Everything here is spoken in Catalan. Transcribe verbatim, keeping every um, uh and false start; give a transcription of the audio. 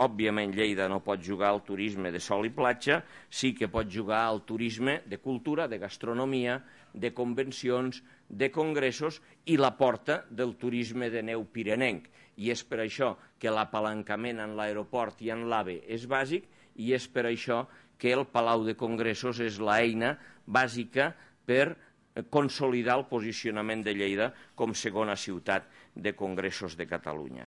Òbviament, Lleida no pot jugar al turisme de sol i platja, sí que pot jugar al turisme de cultura, de gastronomia, de convencions, de congressos i la porta del turisme de neu pirenenc. I és per això que l'apalancament en l'aeroport i en l'AVE és bàsic i és per això que el Palau de Congressos és l'eina bàsica per consolidar el posicionament de Lleida com segona ciutat de congressos de Catalunya.